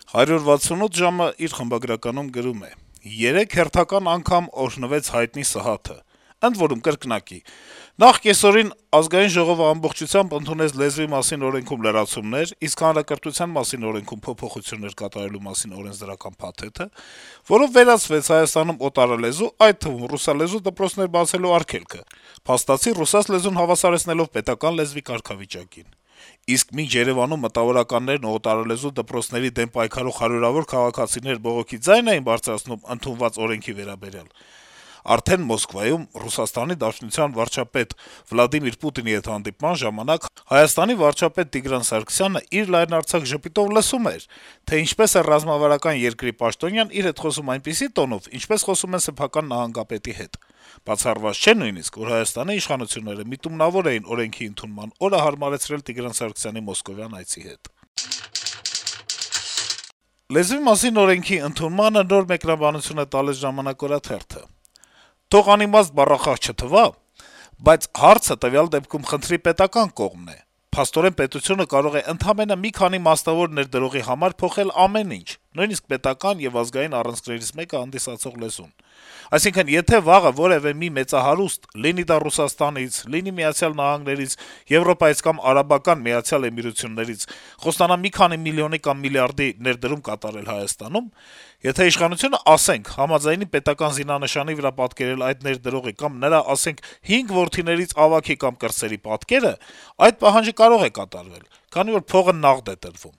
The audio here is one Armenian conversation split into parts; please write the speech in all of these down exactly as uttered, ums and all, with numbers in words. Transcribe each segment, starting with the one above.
«հարյուր վաթսունութ ժամ»-ը իր խմբագրականում գրում է. - «Երեկ հերթական անգամ օրհնվեց հայտնի Սահաթը: Ընդ որում, կրկնակի: Նախ կեսօրին Ազգային ժողովը ամբողջությամբ ընդունեց Լեզվի մասին օրենքում լրացումներ, իսկ Հանրակրթության մասին օրենքում փոփոխություններ կատարելու մասին օրենսդրական փաթեթը, որով վերացվեց Հայաստանում օտարալեզու, այդ թվում ռուսալեզու դպրոցներ բացելու արգելքը, փաստացի ռուսաց լեզուն հավասարեցնելով պետական լեզվի կարգավիճակին: Իսկ մինչ Երեւանում մտավորականներն ու օտարալեզու դպրոցների դեմ պայքարող հարյուրավոր քաղաքացիներ բողոքի ձայն էին բարձրացնում ընդունված օրենքի վերաբերյալ, արդեն Մոսկվայում ՌԴ վարչապետ Վլադիմիր Պուտինի հետ հանդիպման ժամանակ Հայաստանի վարչապետ Տիգրան Սարգսյանը իր լայնարձակ ժպիտով լսում էր, թե ինչպես է ռազմավարական երկրի պաշտոնյան իր հետ խոսում այնպիսի տոնով, ինչպես խոսում են սեփական նահանգապետի հետ: Բացառված չէ նույնիսկ, որ Հայաստանի իշխանությունները միտումնավոր էին օրենքի ընդունման օրը հարմարեցրել Տիգրան Սարգսյանի մոսկովյան այցի հետ»: Լեզվի մասին օրենքի ընդունմանը նոր մեկնաբանություն է տալիս «Ժամանակ» օրաթերթը. - «Թող անիմաստ բառախաղ չթվա, բայց հարցը տվյալ դեպքում խնդրի պետական կողմն է: Փաստորեն պետությունը կարող է ընդամենը մի քանի մասնավոր ներդրողի համար փոխել ամեն ինչ, նույնիսկ պետական եւ ազգային առանցքներից մեկը հանդիսացող լեզուն: Այսինքն, եթե վաղը որեւէ մի մեծահարուստ, լինի դա Ռուսաստանից, լինի Միացյալ Նահանգներից, Եվրոպայից կամ Արաբական Միացյալ Էմիրություններից, խոստանա մի քանի միլիոնի կամ միլիարդի ներդրում կատարել Հայաստանում, եթե իշխանությունը, ասենք, համաձայնի պետական զինանշանի վրա պատկերել այդ ներդրողի կամ նրա, ասենք, հինգ որդիներից ավագի կամ կրտսերի պատկերը, այդ պահանջը կարող է կատարվել, քանի որ փողը նաղդ է տրվում: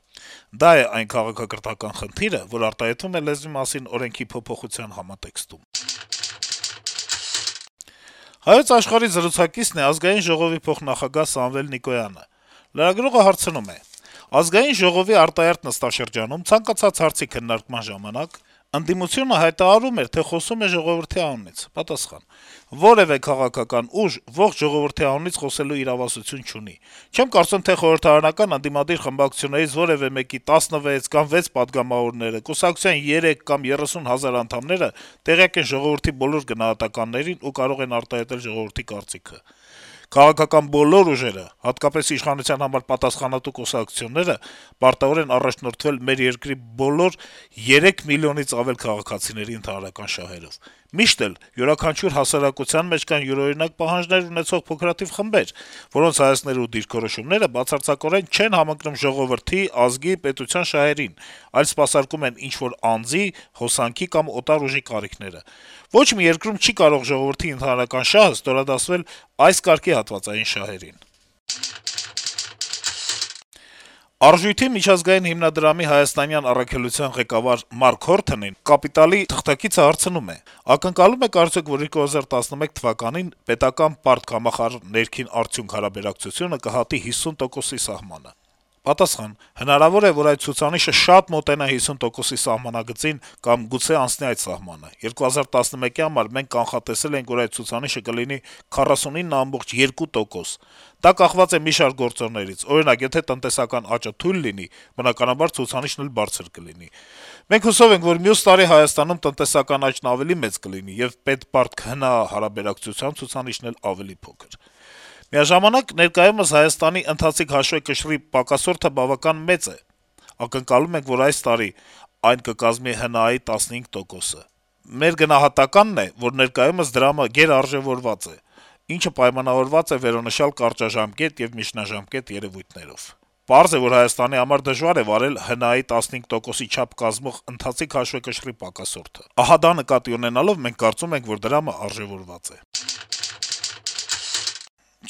Դա է այն քաղաքակրթական խնդիրը, որ արտահայտվում է Լեզվի մասին օրենքի փոփոխության համատեքստում»: «Հայոց Աշխարհ»-ի զրուցակիցն է Ազգային ժողովի փոխնախագահ Սամվել Նիկոյանը: Լրագրողը հարցնում է. - «Ազգային ժողովի արտահերթ նստաշրջանում ցանկացած հարցի քննարկման ժամանակ ընդդիմությունը հայտարարում էր, թե խոսում է ժողովրդի անունից»: Պատասխան. - «Որեւէ քաղաքական ուժ ողջ ժողովրդի անունից խոսելու իրավասություն չունի: Չեմ կարծում, թե խորհրդարանական ընդդիմադիր խմբակցություններից որեւէ մեկի տասնվեց կամ վեց պատգամավորները, կուսակցության երեք կամ երեսուն հազար անդամները տեղյակ են ժողովրդի բոլոր գնահատականներին ու կարող են արտահայտել ժողովրդի կարծիքը: Քաղաքական բոլոր ուժերը, հատկապես իշխանության համար պատասխանատու կուսակցությունները պարտավոր են առաջնորդվել մեր երկրի բոլոր երեք միլիոնից ավել քաղաքացիների ընդհանրական շահերով: Միշտ էլ յուրաքանչյուր հասարակության մեջ կան յուրօրինակ պահանջներ ունեցող փոքրաթիվ խմբեր, որոնց հայացքներն ու դիրքորոշումները բացարձակորեն չեն համընկնում ժողովրդի, ազգի, պետության շահերին, այլ սպասարկում են ինչ-որ անձի, հոսանքի կամ օտար ուժի կարիքները: Ոչ մի երկրում չի կարող ժողովրդի ընդհանրական շահը ստորադասվել այս կարգի հատվածային շահերին»: «Արժույթի» միջազգային հիմնադրամի հայաստանյան առաքելության ղեկավար Մարկ Հորթոնին «Կապիտալ»-ի թղթակիցը հարցնում է. - «Ակնկալո՞ւմ եք արդյոք, որ երկու հազար տասնմեկ թվականին պետական պարտքամախարժ ներքին արդյունք հարաբերակցությունը կհատի հիսուն տոկոսի սահմանը»: Պատասխան. - «Հնարավոր է, որ այդ ցուցանիշը շատ մոտենա հիսուն տոկոսի սահմանագծին կամ գուցե անցնի այդ սահմանը: երկու հազար տասնմեկի համար մենք կանխատեսել էինք, որ այդ ցուցանիշը կլինի քառասունինը կoma երկու տոկոս: Դա կախված է մի շարք գործոններից: Օրինակ, եթե տնտեսական աճը թույլ լինի, բնականաբար ցուցանիշն էլ բարձր կլինի: Մենք հուսով ենք, որ մյուս տարի Հայաստանում տնտեսական աճն ավելի մեծ կլինի, եւ պետպարտք-ՀՆԱ հարաբերակցությամբ ցուցանիշն էլ ավելի փոքր: Միաժամանակ, ներկայումս Հայաստանի ընթացիկ հաշվեկշռի պակասորդը բավական մեծ է: Ակնկալում ենք, որ այս տարի այն կկազմի ՀՆԱ-ի տասնհինգ տոկոսը: Մեր գնահատականն է, որ ներկայումս դրամը գերարժեւորված է, ինչը պայմանավորված է վերոնշյալ կարճաժամկետ եւ միջնաժամկետ երեւույթներով: Պարզ է, որ Հայաստանի համար դժվար է վարել ՀՆԱ-ի տասնհինգ տոկոսի չափ կազմող ընթացիկ հաշվեկշռի պակասորդը: Ահա դա նկատի ունենալով մենք կարծում ենք, որ դրամը արժեւորված է»: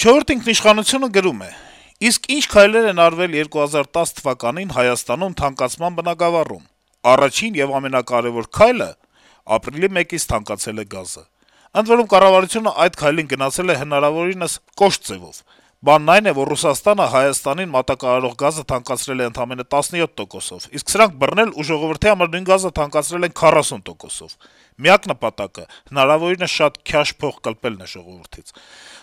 «Չորրորդ ինքնիշխանություն»-ը գրում է. - «Իսկ ի՞նչ քայլեր են արվել երկու հազար տասը թվականին Հայաստանում թանկացման բնագավառում: Առաջին եւ ամենակարեւոր քայլը ապրիլի մեկից թանկացել է գազը: Ընդ որում, կառավարությունը այդ քայլին գնացել է հնարավորինս կոշտ ձեւով: Բանն այն է, որ Ռուսաստանը Հայաստանին մատակարարող գազը թանկացրել է ընդամենը տասնյոթ տոկոսով, իսկ սրանք բռնել ու ժողովրդի համար նույն գազը թանկացրել են քառասուն տոկոսով: Միակ նպատակը հնարավորինս շատ քյաշ փող կլպելն է ժողովրդից: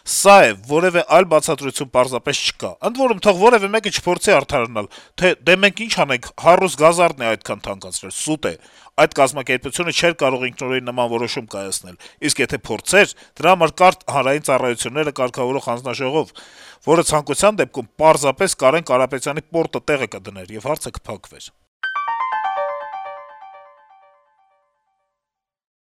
Սա է, որեւէ այլ բացատրություն պարզապես չկա: Ընդ որում, թող որեւէ մեկը չփորձի արդարանալ, թե դե մենք ինչ անենք, «Հարուստ գազարդն է այդքան թանկացրել»: Սուտ է: Այդ կազմակերպությունը չէր կարող ինքնուրույն նման որոշում կայացնել, իսկ եթե փորձեր, դրա համար կար Հանրային ծառայությունները կարգավորող հանձնաժողով, որը ցանկության դեպքում պարզապես Կարեն Կարապետյանի պորտը տեղը կդներ, եւ հարցը կփակվեր»: